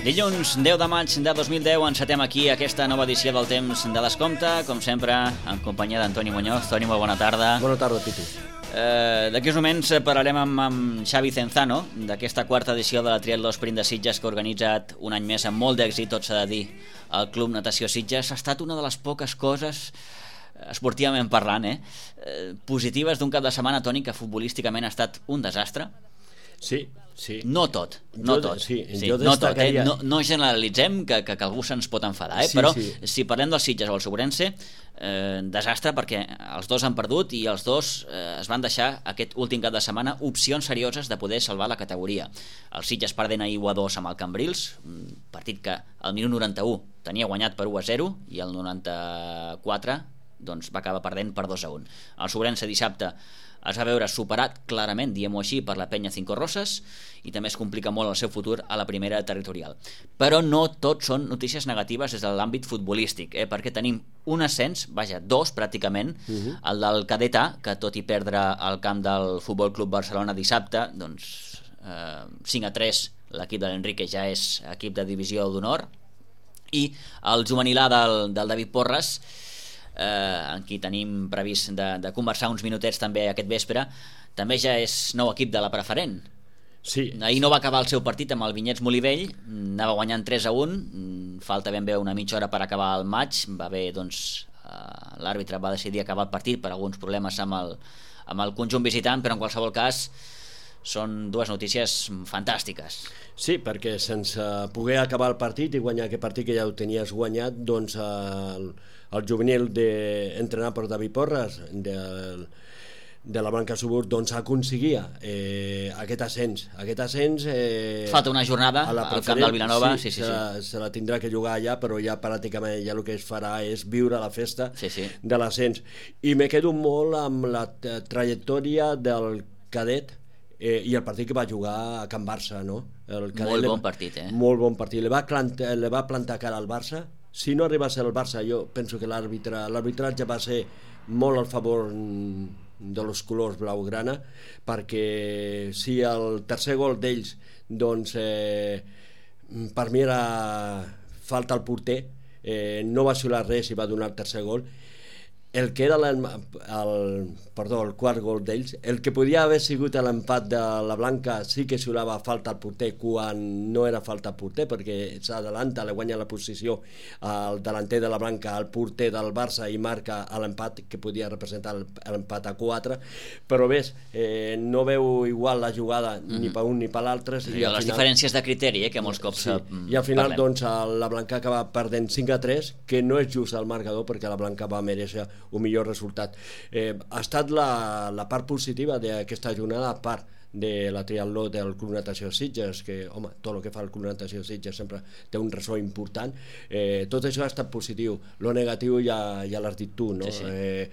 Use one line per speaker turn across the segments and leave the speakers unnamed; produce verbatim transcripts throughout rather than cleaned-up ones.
Dilluns deu de maig de dos mil deu encetem aquí aquesta nova edició del Temps de Descompte, com sempre, en companyia d'Antoni Muñoz. Toni, molt bona tarda.
Bona tarda, Pitu.
Eh, D'aquí uns moments parlarem amb, amb Xavi Cenzano d'aquesta quarta edició de la Triatló Sprint de Sitges que ha organitzat un any més amb molt d'èxit, tot s'ha de dir, el Club Natació Sitges. Ha estat una de les poques coses, esportivament parlant, eh, eh, positives d'un cap de setmana, Toni, que futbolísticament ha estat un desastre.
Sí, sí.
No tot, no
jo,
tot.
Sí,
sí,
jo
no tot, eh?
destacaria...
no, no generalitzem que, que, que algú se'ns pot enfadar, eh?
Sí,
però
sí.
si parlem del Sitges o el Segurense, eh, desastre, perquè els dos han perdut i els dos eh, es van deixar aquest últim cap de setmana opcions serioses de poder salvar la categoria. El Sitges perdent a u a dos amb el Cambrils, un partit que al minut noranta-u tenia guanyat per u a zero i al noranta-quatre doncs, va acabar perdent per dos a un. El Segurense dissabte es va veure superat clarament, diguem-ho així, per la penya Cinco Roses i també es complica molt el seu futur a la primera territorial. Però no tot són notícies negatives des de l'àmbit futbolístic, eh? perquè tenim un ascens, vaja, dos pràcticament, uh-huh. el del Cadet A, que tot i perdre al camp del Futbol Club Barcelona dissabte, doncs eh, cinc a tres l'equip de l'Enrique ja és equip de divisió d'honor, i el juvenil A del, del David Porres, Eh, en qui tenim previst de, de conversar uns minutets també aquest vespre, també ja és nou equip de la preferent.
Sí.
Ahir no va acabar el seu partit amb el Vinyets Molivell, anava guanyant tres a un, falta ben bé una mitja hora per acabar el maig, va bé, doncs eh, l'àrbitre va decidir acabar el partit per alguns problemes amb el, amb el conjunt visitant, però en qualsevol cas són dues notícies fantàstiques.
Sí, perquè sense poder acabar el partit i guanyar aquest partit que ja ho tenies guanyat, doncs el, el juvenil de, entrenat per David Porres de, de la Blanca Subur, doncs aconseguia eh, aquest ascens aquest ascens eh,
falta una jornada al camp del Vilanova, sí, sí, sí,
se,
sí.
La, se la tindrà que jugar allà, però ja pràcticament ja el que es farà és viure la festa
sí, sí.
de l'ascens. I me quedo molt amb la trajectòria del Cadet Eh, i el partit que va jugar a Can Barça, no? El
molt bon partit, eh?
Molt bon partit. Le va, plantar, le va plantar cara al Barça. Si no arriba a ser el Barça, jo penso que l'àrbitre, l'arbitratge va ser molt al favor de los colors blaugrana, perquè si el tercer gol d'ells, doncs, eh, per mi era falta al porter, eh, no va xiular res i va donar el tercer gol. El que era el, el, perdó, el quart gol d'ells, el que podia haver sigut l'empat de la Blanca sí que xiulava falta al porter quan no era falta al porter, perquè s'adalanta, le guanya la posició al delanter de la Blanca, al porter del Barça i marca l'empat que podia representar l'empat a quatre, però ves, eh, no veu igual la jugada mm-hmm. ni per un ni per l'altre.
Sí, les final... diferències de criteri, eh, que molts cops
sí. I al final
parlem.
doncs la Blanca acaba perdent cinc a tres, que no és just el marcador perquè la Blanca va mereixer un millor resultat. Eh, ha estat la, la part positiva d'aquesta jornada, a part de la triatló del Club Natació Sitges, que, home, tot el que fa el Club Natació Sitges sempre té un ressò important. Eh, tot això ha estat positiu. Lo negatiu ja, ja l'has dit tu, no?
Sí, sí.
Eh,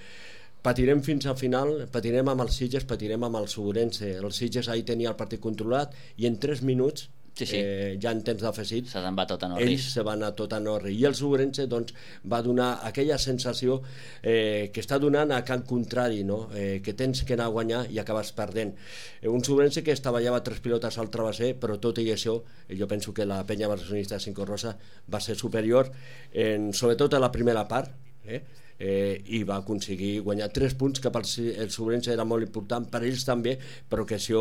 patirem fins al final, patirem amb el Sitges, patirem amb el Segurense. El Sitges ahir tenia el partit controlat i en tres minuts
sí, sí.
Eh, ja en temps d'afegit
se se'n va tot a Norris.
Ells se van a tot a Norris i el Segurense doncs, va donar aquella sensació eh, que està donant a camp contrari, no? eh, que tens que anar a guanyar i acabes perdent. Eh, un Segurense que estavallava tres pilotes al travesser, però tot i això eh, jo penso que la penya barcelonista Cinco Rosa va ser superior, en, sobretot a la primera part, eh? Eh, i va aconseguir guanyar tres punts, que per el Segurense era molt important, per ells també, però que això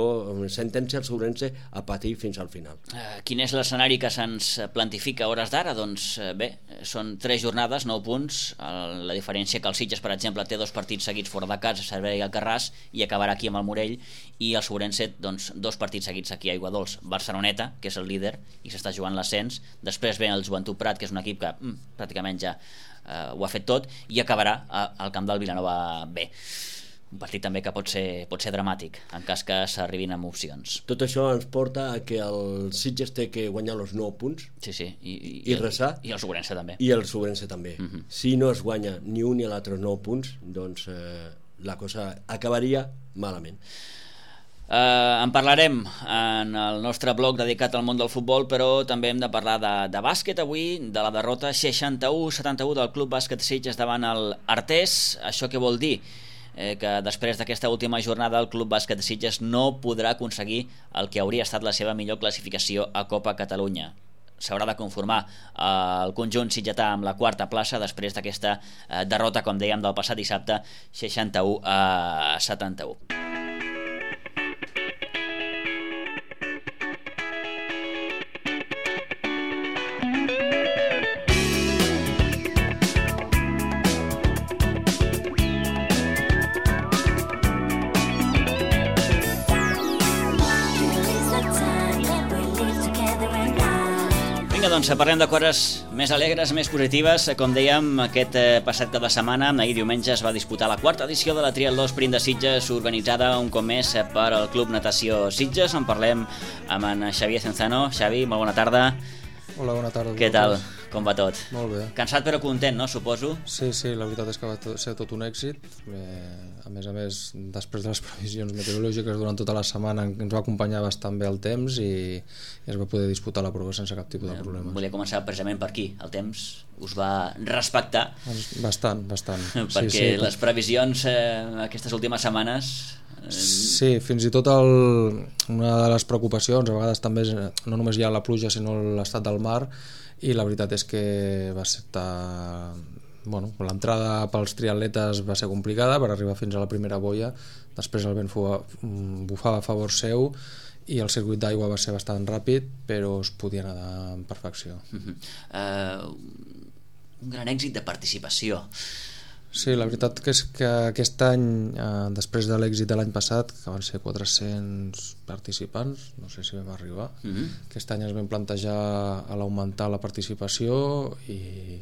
sentència el Segurense a patir fins al final.
Uh, quin és l'escenari que se'ns plantifica a hores d'ara? Doncs uh, bé, són tres jornades, nou punts, uh, la diferència que el Sitges, per exemple, té dos partits seguits fora de casa, Cervera i Alcarràs, i acabarà aquí amb el Morell, i el Segurense, doncs, dos partits seguits aquí a Aiguadols, Barceloneta, que és el líder i s'està jugant l'ascens, després ve el Joventut Prat, que és un equip que mm, pràcticament ja Uh, ho ha fet tot, i acabarà uh, al camp del Vilanova B, un partit també que pot ser, pot ser dramàtic en cas que s'arribin amb opcions.
Tot això ens porta a que el Sitges té que guanyar els nou punts
sí, sí. I, i,
i resar,
i el Segurense també,
i el Segurense també. Uh-huh. Si no es guanya ni un ni l'altre nou punts, doncs eh, la cosa acabaria malament.
Uh, en parlarem en el nostre blog dedicat al món del futbol, però també hem de parlar de, de bàsquet avui, de la derrota seixanta-u a setanta-u del Club Bàsquet Sitges davant el Artés. Això què vol dir? Eh, que després d'aquesta última jornada el Club Bàsquet Sitges no podrà aconseguir el que hauria estat la seva millor classificació a Copa Catalunya. s'haurà de conformar el conjunt sitgetà amb la quarta plaça després d'aquesta derrota, com dèiem, del passat dissabte, seixanta-u a setanta-u. Doncs parlem de coses més alegres, més positives. Com dèiem, aquest passat cap de setmana, ahir diumenge, es va disputar la quarta edició de la Triatló Sprint de Sitges, organitzada un cop més per al Club Natació Sitges. En parlem amb en Xavier Cenzano. Xavi, molt bona tarda.
Hola, bona tarda.
Què tal? Com va tot?
Molt bé.
Cansat però content, no? Suposo.
Sí, sí, la veritat és que va ser tot un èxit. Eh, a més a més, després de les previsions meteorològiques durant tota la setmana ens va acompanyar bastant bé el temps i, i es va poder disputar la prova sense cap tipus de problemes.
Volia començar precisament per aquí. El temps us va respectar?
Bastant, bastant.
Perquè sí, sí, les previsions eh, aquestes últimes setmanes...
Sí, fins i tot el, una de les preocupacions a vegades també és no només hi ha la pluja sinó l'estat del mar, i la veritat és que va estar, bueno, l'entrada pels triatletes va ser complicada per arribar fins a la primera boia, després el vent bufava a favor seu i el circuit d'aigua va ser bastant ràpid, però es podia nedar amb perfecció.
Uh-huh. uh, un gran èxit de participació.
Sí, la veritat que és que aquest any, eh, després de l'èxit de l'any passat, que van ser quatre-cents participants, no sé si vam arribar, uh-huh. Aquest any ens vam plantejar a l'augmentar la participació i,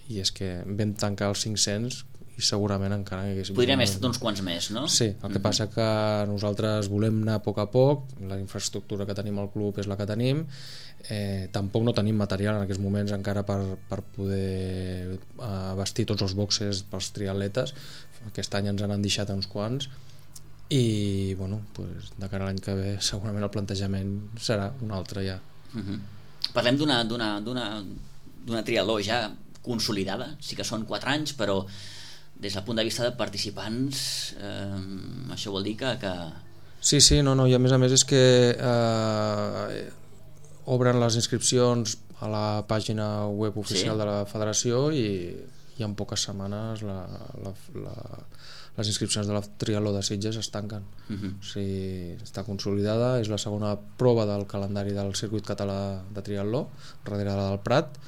i és que vam tancar els cinc-cents i segurament encara que haguéssim...
Podríem haver estat uns quants més, no?
Sí, el que uh-huh. passa que nosaltres volem anar a poc a poc, la infraestructura que tenim al club és la que tenim, eh, tampoc no tenim material en aquests moments encara per, per poder eh, vestir tots els boxes pels triatletes. Aquest any ens han deixat uns quants i bueno, pues, de cara a l'any que ve segurament el plantejament serà un altre ja.
Uh-huh. Parlem d'una, d'una, d'una, d'una triatló ja consolidada, sí que són quatre anys, però des del punt de vista de participants eh, això vol dir que, que...
Sí, sí, no, no, i a més a més és que eh, obren les inscripcions a la pàgina web oficial sí. de la federació i, i en poques setmanes la, la, la, les inscripcions de la Triatló de Sitges es tanquen. Uh-huh. O sigui, està consolidada, és la segona prova del calendari del circuit català de triatló, darrere del Prat,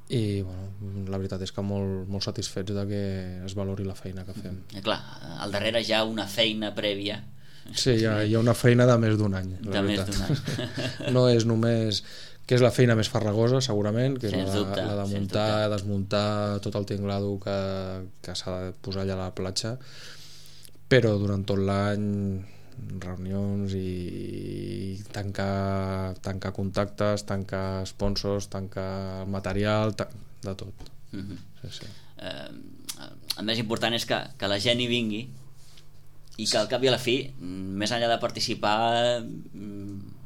i bueno, la veritat és que molt, molt satisfets de que es valori la feina que fem.
I clar, al darrere hi ha una feina prèvia.
Sí, hi ha, hi ha una feina de més d'un any.
De més d'un any.
No és només que és la feina més farragosa, segurament, que és
sens
la,
dubte,
la de muntar, desmuntar tot el tinglado que, que s'ha de posar allà a la platja, però durant tot l'any reunions i tancar, tancar contactes, tancar sponsors, tancar material, de tot.
Uh-huh.
Sí, sí.
Eh, el més important és que, que la gent hi vingui i que al cap i a la fi, més enllà de participar,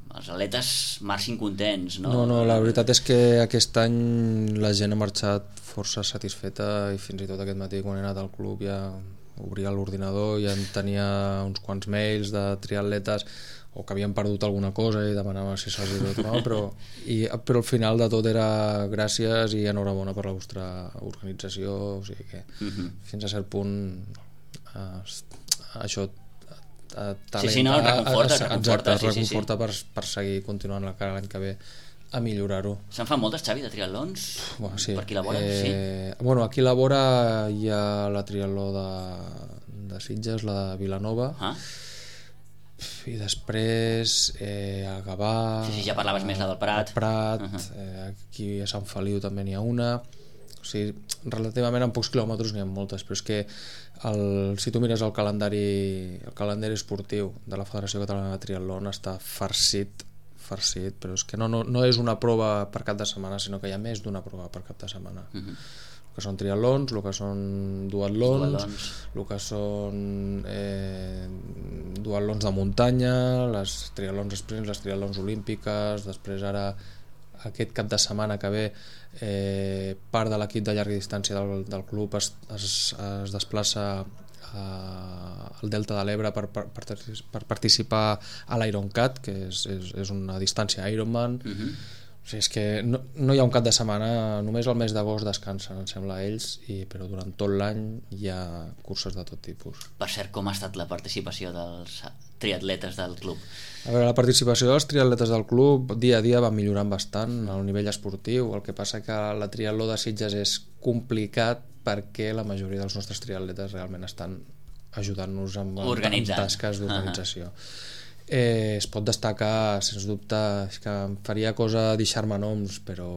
els atletes marxin contents, no?
No, no, la veritat és que aquest any la gent ha marxat força satisfeta i fins i tot aquest matí quan he anat al club ja obria l'ordinador i ja tenia uns quants mails de triatletes o que havien perdut alguna cosa i demanava si se'ls havia tornat, però, i, però al final de tot era gràcies i enhorabona per la vostra organització, o sigui que uh-huh. fins a cert punt eh, això eh,
sí, sí, no, el reconforta,
eh,
reconforta,
exacte,
sí,
reconforta
sí,
sí. Per, per seguir continuant la cara l'any que ve a millorar-ho.
Se'n fan moltes, Xavi, de triatlons?
Bueno, sí.
Per aquí la vora?
Eh,
sí.
Bueno, aquí la vora hi ha la triatló de, de Sitges, la de Vilanova, ah. i després eh, a Gavà...
Sí, sí, ja parlaves a, més la del Prat.
Prat, uh-huh. eh, aquí a Sant Feliu també n'hi ha una. O sigui, relativament en pocs quilòmetres n'hi ha moltes, però és que el, si tu mires el calendari, el calendari esportiu de la Federació Catalana de Triatlon està farcit farcit, però és que no, no, no és una prova per cap de setmana, sinó que hi ha més d'una prova per cap de setmana. Uh-huh. El que són triatlons, el que són duatlons, duatlons. El que són eh, duatlons de muntanya, les triatlons sprints, les triatlons olímpiques, després ara aquest cap de setmana que ve eh, part de l'equip de llarga distància del, del club es, es, es desplaça al Delta de l'Ebre per, per, per participar a l'Ironcat, que és, és, és una distància Ironman. Uh-huh. O O sigui, és que no, no hi ha un cap de setmana, només el mes d'agost descansen, em sembla, ells, i, però durant tot l'any hi ha curses de tot tipus.
Per cert, com ha estat la participació dels triatletes del club?
A veure, la participació dels triatletes del club dia a dia va millorant bastant al nivell esportiu, el que passa que la triatló de Sitges és complicat perquè la majoria dels nostres triatletes realment estan ajudant-nos amb, amb tasques d'organització. Uh-huh. Eh, es pot destacar, sens dubte, és que em faria cosa deixar-me noms, però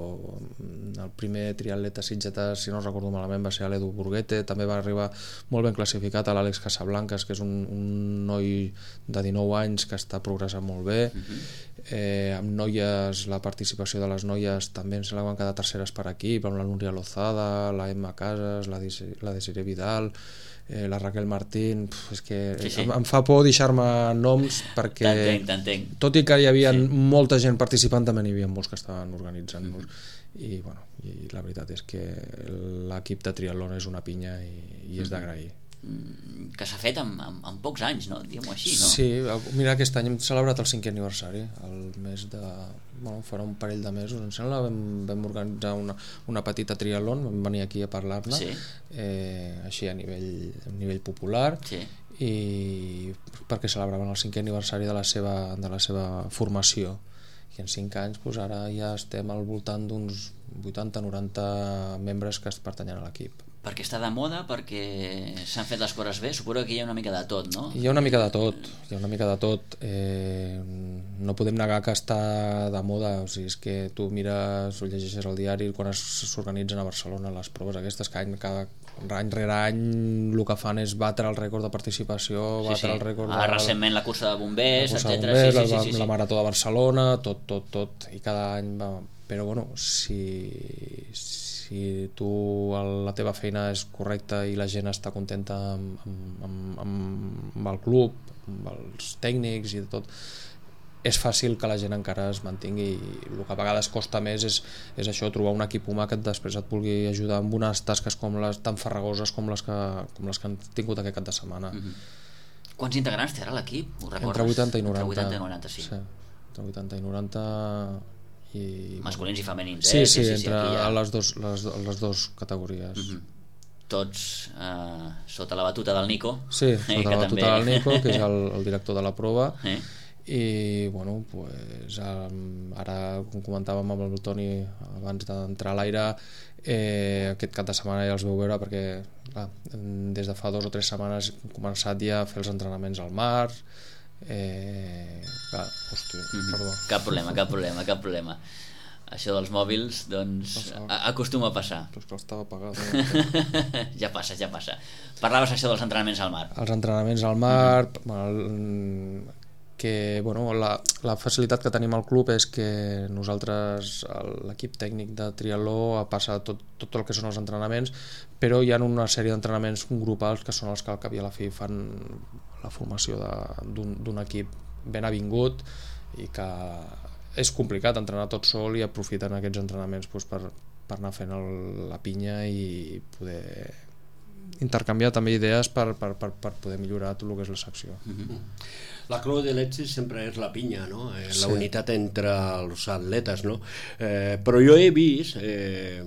el primer triatleta sitgetà, si no recordo malament, va ser l'Edu Burguete, també va arribar molt ben classificat a l'Àlex Casablancas, que és un, un noi de dinou anys que està progressant molt bé. Uh-huh. eh, amb noies, la participació de les noies també se la van quedar terceres per equip, amb la Núria Lozada, la Emma Casas, la Desiree Vidal, Eh, la Raquel Martín, pf, és que sí, sí. Em, em fa por deixar-me noms perquè
t'entenc, t'entenc.
Tot i que hi havia sí. molta gent participant, també n'hi havia molts que estaven organitzant-nos. Mm-hmm. I, bueno, i la veritat és que l'equip de triatlon és una pinya i, i és d'agrair.
Que s'ha fet en, en, en pocs anys, no? Diguem-ho així, no?
Sí, mira, aquest any hem celebrat el cinquè aniversari, el mes de... Bueno, farà un parell de mesos, em sembla, vam, vam organitzar una, una petita triatlon, vam venir aquí a parlar-ne, sí. eh, així a nivell, a nivell popular, sí. I perquè celebraven el cinquè aniversari de la seva, de la seva formació. I en cinc anys, doncs, ara ja estem al voltant d'uns vuitanta noranta membres que es pertanyen a l'equip.
Perquè està de moda, perquè s'han fet les coses bé, suposo que hi ha una mica de tot, no?
Hi ha una mica de tot, hi ha una mica de tot. Eh, no podem negar que està de moda, o sigui, és que tu mires o llegeixes el diari quan s'organitzen a Barcelona les proves aquestes, que any, cada any rere any el que fan és batre el rècord de participació, batre sí, sí. el rècord de...
Ah, recentment la cursa de bombers,
la cursa de
etcètera.
bombers,
sí, sí,
la,
sí, sí.
la Marató de Barcelona, tot, tot, tot, i cada any va... Però bueno, si... si tu la teva feina és correcta i la gent està contenta amb, amb, amb, amb el club, amb els tècnics i tot, és fàcil que la gent encara es mantingui, i el que a vegades costa més és, és això, trobar un equip humà que després et vulgui ajudar amb unes tasques com les tan farragoses com les que, com les que han tingut aquest cap de setmana.
Mm-hmm. Quants integrants té ara l'equip? Ho recordes?
Entre vuitanta i noranta.
Entre vuitanta i noranta, sí.
sí. Entre vuitanta i noranta... I,
masculins i femenins,
sí,
eh?
Sí, sí,
sí,
entre
sí, ha...
les, dos, les, les dos categories.
Mm-hmm. Tots eh, sota la batuta del Nico.
Sí, sota
eh,
la batuta
també...
del Nico, que és el, el director de la prova.
Eh?
I, bueno, pues, ara, com comentàvem amb el Toni abans d'entrar a l'aire, eh, aquest cap de setmana ja els veu veure perquè, clar, des de fa dos o tres setmanes hem començat ja a fer els entrenaments al mar. Eh, clar, hosti, mm-hmm. perdó.
Cap problema, cap problema, cap problema. Això dels mòbils, doncs, acostuma a passar.
Però és que estava apagat. Eh?
ja passa, ja passa. Parlaves això dels entrenaments al mar.
Els entrenaments al mar, mm-hmm. bueno, que bueno, la, la facilitat que tenim al club és que nosaltres, l'equip tècnic de triatló, passa tot, tot el que són els entrenaments, però hi ha una sèrie d'entrenaments grupals que són els que al cap i a la fi fan la formació d'un equip ben avingut, i que és complicat entrenar tot sol, i aprofiten aquests entrenaments doncs, per, per anar fent el, la pinya i poder intercanviar també idees per, per, per, per poder millorar tot el que és la secció.
Mm-hmm. La clau de l'èxit sempre és la pinya, no? Eh, la
sí.
unitat entre els atletes, no? Eh, però jo he vist, eh,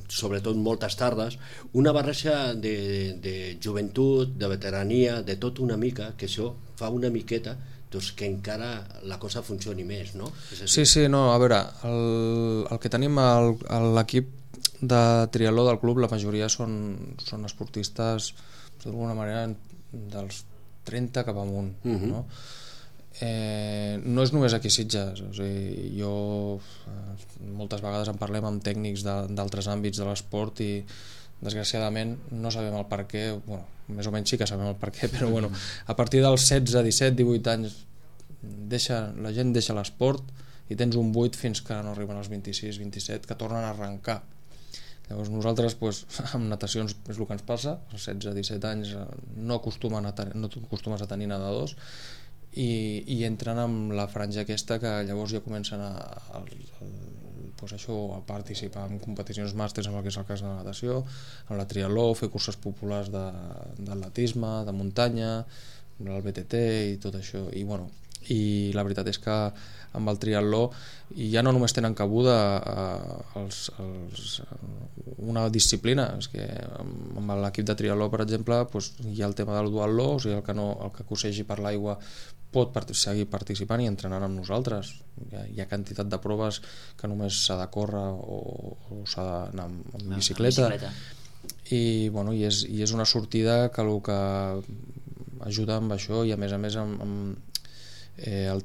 sobretot moltes tardes, una barreja de, de joventut, de veterania, de tot una mica, que això fa una miqueta doncs que encara la cosa funcioni més, no?
Sí, sí, no, a veure, el, el que tenim a l'equip de triatló del club, la majoria són, són esportistes d'alguna manera dels trenta cap amunt, uh-huh. no? Eh, no és només aquí a Sitges, o sigui, jo eh, moltes vegades en parlem amb tècnics d'altres àmbits de l'esport i desgraciadament no sabem el per què, bueno, més o menys sí que sabem el per què, però bueno, a partir dels setze, disset, divuit anys deixa, la gent deixa l'esport i tens un buit fins que no arriben als vint-i-sis, vint-i-set, que tornen a arrencar. Llavors nosaltres, doncs, amb natacions és el que ens passa, als setze, disset anys no, acostumen a tenir, no acostumes a tenir nedadors, i, i entren amb la franja aquesta que llavors ja comencen a, a, a, pues això, a participar en competicions màsters, amb el que és el cas de la natació, en la triatló, fer curses populars d'atletisme, de, de muntanya, el B T T i tot això. I bueno, i la veritat és que amb el triatló ja no només tenen cabuda eh, els, els, una disciplina, és que amb l'equip de triatló, per exemple, doncs hi ha el tema del duatló, o sigui, el que, no, el que cossegi per l'aigua pot part seguir participant i entrenant amb nosaltres. Hi ha, hi ha quantitat de proves que només s'ha de córrer o, o s'ha d'anar amb, amb bicicleta, bicicleta. I, bueno, i, és, i és una sortida que el que ajuda amb això, i a més a més amb, amb, eh, el